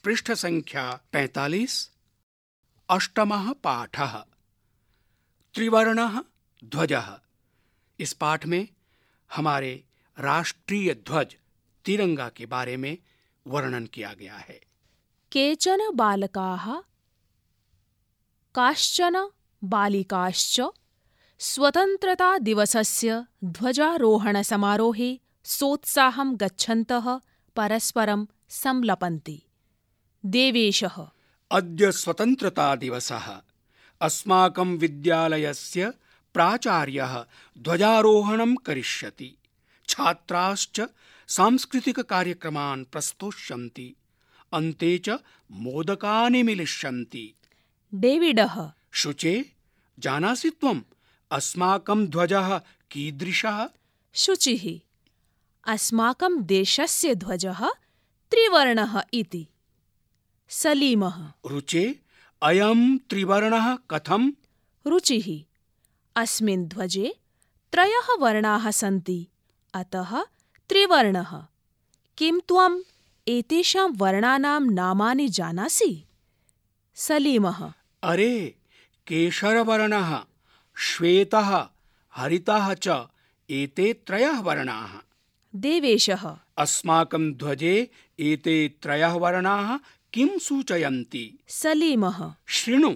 पृष्ठ संख्या 45, अष्टमः पाठः त्रिवर्णः ध्वजः। इस पाठ में हमारे राष्ट्रीय ध्वज तिरंगा के बारे में वर्णन किया गया है। केचन बालकाः काश्चन बालिकाश्च स्वतन्त्रता दिवसस्य ध्वजारोहण समारोहे सोत्साहं गच्छन्तः परस्परं संलपन्ति। देवेशः अद्य स्वतन्त्रता दिवसः। अस्माकं विद्यालयस्य प्राचार्यः ध्वजारोहणं करिष्यति। छात्राश्च सांस्कृतिक कार्यक्रमान् प्रस्तोष्यन्ति। अन्ते च मोदकानि मिलिष्यन्ति। डेविडः शुचे, जानासि त्वम् अस्माकं ध्वजः कीदृशः? शुचिः अस्माकं देशस्य ध्वजः त्रिवर्णः इति। सलीमः रुचे, अयं त्रिवर्णः कथम्? रुचिः अस्मिन् ध्वजे 3 वर्णाः सन्ति, अतः त्रिवर्णः। किं त्वम् एतेषां वर्णानां नामानि जानासि? सलीमः अरे, केशरवर्णः, श्वेतः, हरितः च एते 3 वर्णाः। देवेशः अस्माकं ध्वजे एते 3 वर्णाः किं सूचयन्ति? सलीमः शृणु,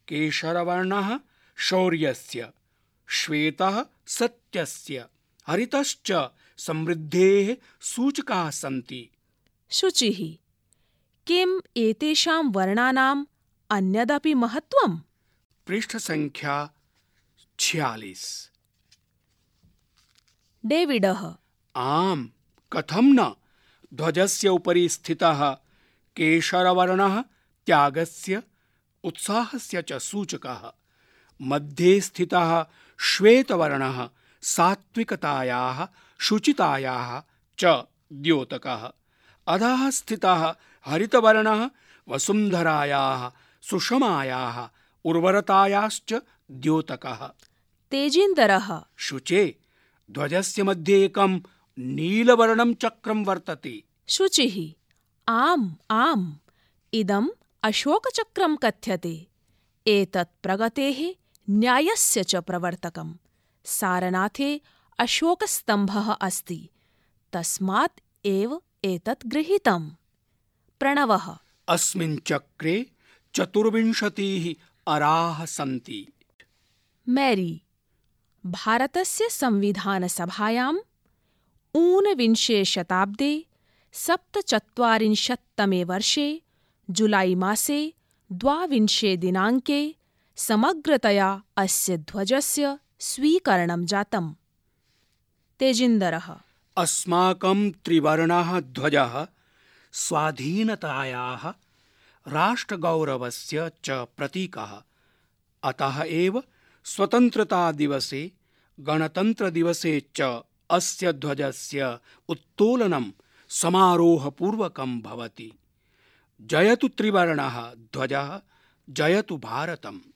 केशरवर्णः शौर्यस्य, श्वेतः सत्यस्य, हरितश्च समृद्धेः सूचकाः सन्ति। शुचिः किम् एतेषां वर्णानाम् अन्यदपि महत्त्वम्? पृष्ठ संख्या 46। डेविडः आम्, कथं न। ध्वजस्य उपरि स्थितः केशरवर्णः त्यागस्य, उत्साहस्य च सूचकः। मध्ये स्थितः श्वेतवर्णः सात्विकतायाः, शुचितायाः च द्योतकः। अधः स्थितः हरितवर्णः वसुन्धरायाः, सुषमायाः, उर्वरतायाश्च द्योतकः। तेजिन्दरः शुचे, ध्वजस्य मध्ये एकं नीलवर्णं चक्रं वर्तते। शुचिः आम् आम्, इदम् अशोकचक्रं कथ्यते। एतत् प्रगतेः, न्यायस्य च प्रवर्तकम्। सारनाथे अशोकस्तम्भः अस्ति, तस्मात् एव एतत् गृहीतम्। प्रणवः अस्मिन् चक्रे 24 अराः सन्ति। मैरी भारतस्य संविधानसभायां ऊनविंशे शताब्दे 47तमे वर्षे जुलाई मासे 22 दिनाङ्के समग्रतया अस्य ध्वजस्य स्वीकरणं जातम्। तेजिन्दरः अस्माकं त्रिवर्णः ध्वजः स्वाधीनतायाः, राष्ट्रगौरवस्य च प्रतीकः। अतः एव स्वतन्त्रता दिवसे, गणतन्त्रदिवसे च अस्य ध्वजस्य उत्तोलनं समारोहपूर्वकं भवति। जयतु त्रिवर्णः ध्वजः, जयतु भारतम्।